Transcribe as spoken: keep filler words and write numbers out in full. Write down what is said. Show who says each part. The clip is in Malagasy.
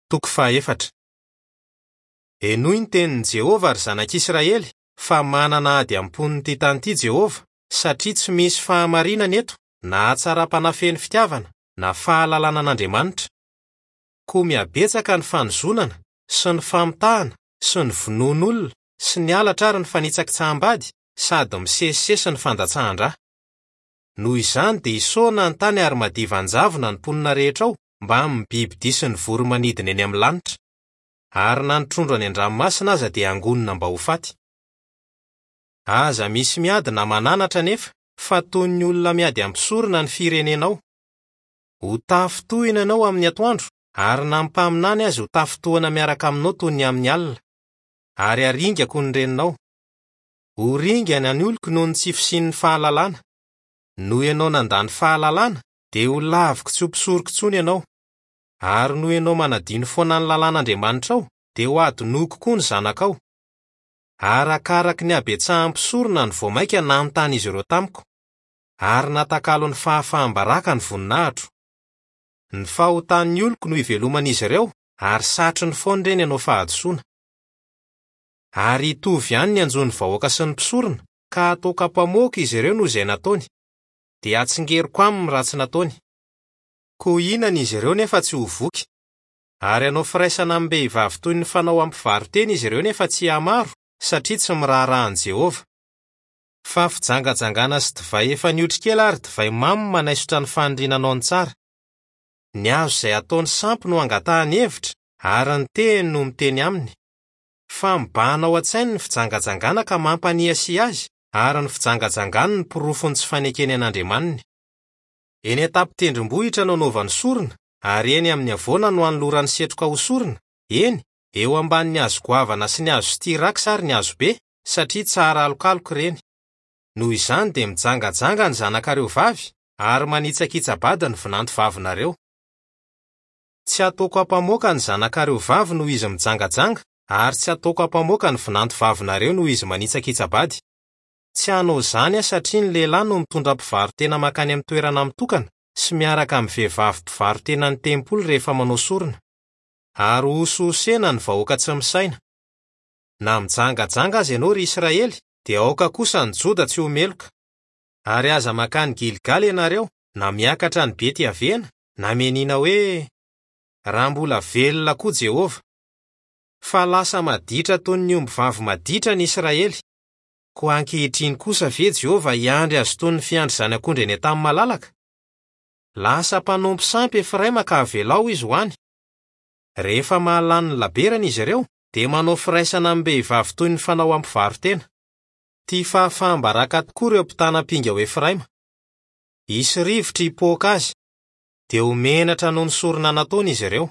Speaker 1: Toko fahaefatra. Henoy ny tenin'i Jehovah, ry zanak'Israely, fa manana ady am-pon'ity tany ity Jehovah, satria tsy misy fahamarinana eto, na hatsaram-panahy feno fitiavana, na fahalalana an'Andriamanitra. Koa mihabetsaka ny fanozonana sy ny famitahana sy ny vonoan'olona sy ny halatra ary ny fanitsakitsaham-bady sady misesisesy ny fandatsahan-drà. Noho izany dia isaona ny tany ary madiva an-javona ny mponina rehetra ao mbamin'ny bibidia sy ny voro-manidina eny amin'ny lanitra. Ary na ny trondro any an-dranomasina aza dia angonina mba ho faty. Aza misy miady na mananatra anefa, fa toy ny olona miady am-pisorona ny firenenao. Ho tafintohina ianao amin'ny atoandro, ary na ny mpaminany aza ho tafintohina miaraka aminao toy ny amin'ny alina. Ary haringako ny reninao. Ho ringana ny oloko noho ny tsy fisian'ny fahalalana. Noho ianao nandany fahalalana, dia ho laviko tsy ho mpisoroko intsony ianao. Ary noho ianao manadino foana ny lalàn'Andriamanitrao, dia ho adinoko koa ny zanakao. Arakaraky ny habetsahan'ny mpisorona no vao mainka nanontany izy ireo tamiko, ary natakalo ny fahafaham-baraka ny voninahitro. Ny fahotan'ny oloko no iveloman'izy ireo, ary satriny foana ireny hanao fahadisoana. Ary hitovy ihany ny anjon'ny vahoaka sy ny mpisorona, ka hataoko ampamoaka izy ireo noho izay nataony, dia hatsingeriko aminy ny ratsy nataony. Koa hihinana izy ireo nefa tsy ho voky, ary hanao firaisana amim-behivavy toy ny fanao amin'ny mpivaro-tena izy ireo nefa tsy hihamaro, satria tsy miraharaha an'i Jehovah. Fa fijangajangana sy divay efa niotro kely ary divay mamy manaisotra ny faniriana ny tsara. Ny hazo izay ataony sampy no angatahany hevitra, ary ny tehiny no miteny aminy. Fa mibahana ao an-tsainy ny fijangajangana ka mampaniasia azy, ary ny fijangajangany no porofon'ny tsy fanekeny an'Andriamaniny. Eny an-tampon-tendrombohitra no anaovany sorona, ary eny amin'ny havoana no anolorany setroka ho sorona, eny, eo ambanin'ny hazo goavana sy ny hazo styrax ary ny hazo be, satria tsara alokaloka ireny. Noho izany dia mijangajanga ny zanakareo vavy, ary manitsakitsa-bady ny vinanto vavinareo. Tsy ataoko ampamoaka ny zanakareo vavy noho izy mijangajanga, ary tsy ataoko ampamoaka ny vinanto vavinareo noho izy manitsakitsa-bady. Tsy hanao izany aho satria ny lehilahy no mitondra mpivaro-tena mankany amin'ny toerana mitokana sy miaraka amin'ny vehivavy mpivaro-tena ny tempoly rehefa manao sorona. Ary hosihosena ny vahoaka tsy misaina. Na mijangajanga aza ianao, ry Israely, dia aoka kosa ny Joda tsy ho meloka. Ary aza mankany Gilgala ianareo, na miakatra ny Bety-Avena, na mianiana hoe, raha mbola velona koa Jehovah. Fa lasa maditra toy ny ombivavy maditra ny Israely. Koa ankehitriny kosa ve Jehovah hiandry azy toy ny fiandry zanak'ondry eny an-tany malalaka? Lasa mpanompo sampy Efraima ka avelao izy ho any. Rehefa mahalany ny laberany izy ireo, dia manao firaisana amim-behivavy toy ny fanao amin'ny mpivaro-tena. Tia fahafaham-baraka tokoa ireo mpitana ampinga ao Efraima. Hisy rivotra hipoaka azy, dia ho menatra noho ny sorona nataony izy ireo.